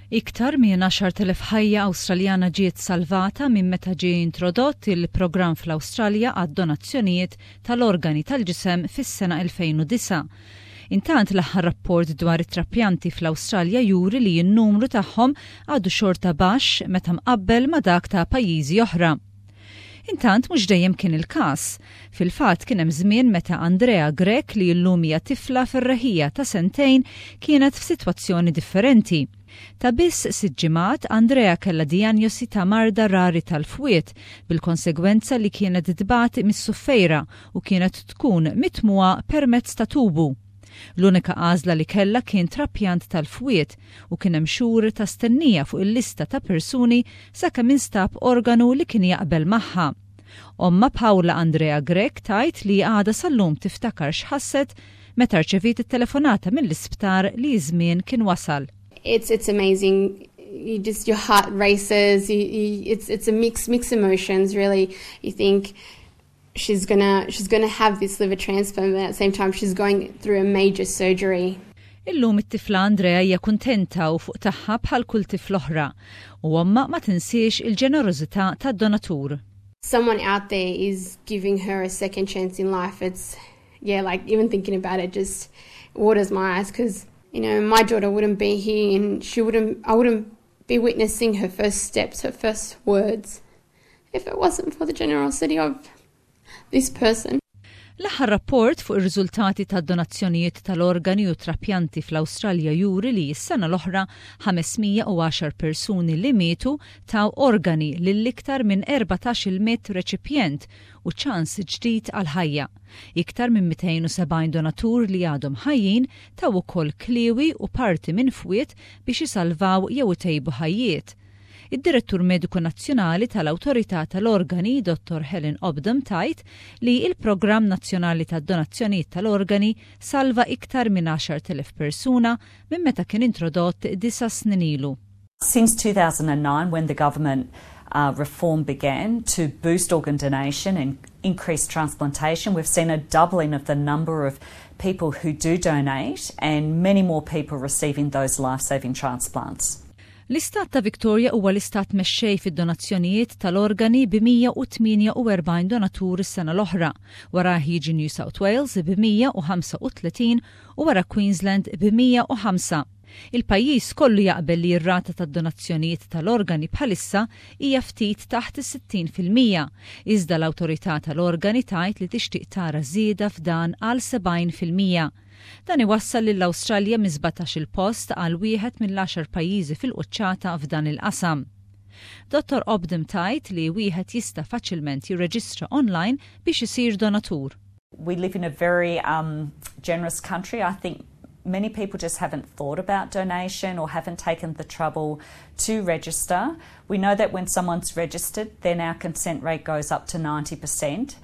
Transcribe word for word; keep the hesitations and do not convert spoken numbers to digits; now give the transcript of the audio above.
Iktar minn għaxart elef ħajja Awstraljana ġiet salvata minn meta ġie introdott il-programm fl-Awstralja għad donazzjonijiet tal-organi tal-ġisem fis-sena elfejn u disgħa. Intant, l-aħħar rapport dwar it-trapjanti fl-Awstralja juri li n-numru tagħhom għadu xorta baxx meta mqabbel ma' dak ta' pajjiżi oħra. Intant, mhux dejjem kien il-każ. Fil-fatt, kien hemm żmien meta Andrea Grech, li llum hija tifla ferreħija ta' sentejn, kienet f'sitwazzjoni differenti. Ta' biss sitt ġimgħat, Andrea kellha dijanjosi ta' marda rari tal-fwied, bil-konsegwenza li kienet tbati mis-suffejra u kienet tkun mitmugħa permezz ta' tubu. L-unika għażla li kellha kien trapjant tal-fwied u kien hemm xhur ta' stennija fuq il-lista ta' persuni sakemm instab organu li kien jaqbel magħha. Omma Paula Andrea Grech tgħid li għadha sal-lum tiftakar x'ħasset meta rċeviet it-telefonata mill-isptar li żmien kien wasal. It's it's amazing. You just your heart races. You, you, it's it's a mix mixed emotions, really. You think she's gonna she's gonna have this liver transplant, but at the same time she's going through a major surgery. Illum it-tifla Andrea hija kuntenta u fuq tagħha bħal kull tifla oħra u omma ma tinsiex il-ġenerożità tad-donatur. Someone out there is giving her a second chance in life. It's, yeah, like, even thinking about it just waters my eyes because you know my daughter wouldn't be here and she wouldn't I wouldn't be witnessing her first steps, her first words, if it wasn't for the generosity of this person. L-aħħar rapport fuq ir-riżultati tad-donazzjonijiet tal-organi u trapjanti fl-Awstralja juri li s-sena l-oħra ħames mija u għaxar persuni li mietu taw organi lil iktar minn erbatax-il mitt reċipjent u ċans ġdid għal ħajja. Iktar minn mitejn u sebgħin donatur li għadhom ħajjin taw ukoll kliwi u parti minn fwied biex isalvaw jew itejbu ħajjiet. Id-Direttur Mediku Nazzjonali tal-Awtorità tal-Organi, Dottor Helen Opdam, tgħid li il-Programm Nazzjonali tad-Donazzjonijiet tal-Organi salva iktar minn għaxart elef persuna minn meta kien introdott disa' snin ilu. Since two thousand nine, when the government uh, reform began to boost organ donation and increase transplantation, we've seen a doubling of the number of people who do donate and many more people receiving those life-saving transplants. L-istat ta' Victoria huwa l-istat mexxej fid-donazzjonijiet tal-organi bi mija u tmienja u erbgħin donatur is-sena l-oħra. Wara jiġi New South Wales bi mija u ħamsa u tletin u wara Queensland bi mija u ħamsa. Il-pajjiż kollu jaqbel li r-rata tad-donazzjonijiet tal-organi bħalissa hija ftit taħt is-sittin fil-mija, iżda l-awtorità tal-organi tgħid li tixtieq tara żieda f'dan għal sebgħin fil-mija. Dan iwassal lill-Awstralja minn sbatax-il post għal wieħed mill-għaxar pajjiżi fil-quċċata f'dan il-qasam. Dottor Opdam tgħid li wieħed jista' faċilment jirreġistra online biex isir donatur. We live in a very um, generous country. I think many people just haven't thought about donation or haven't taken the trouble to register. We know that when someone's registered, then our consent rate goes up to ninety percent.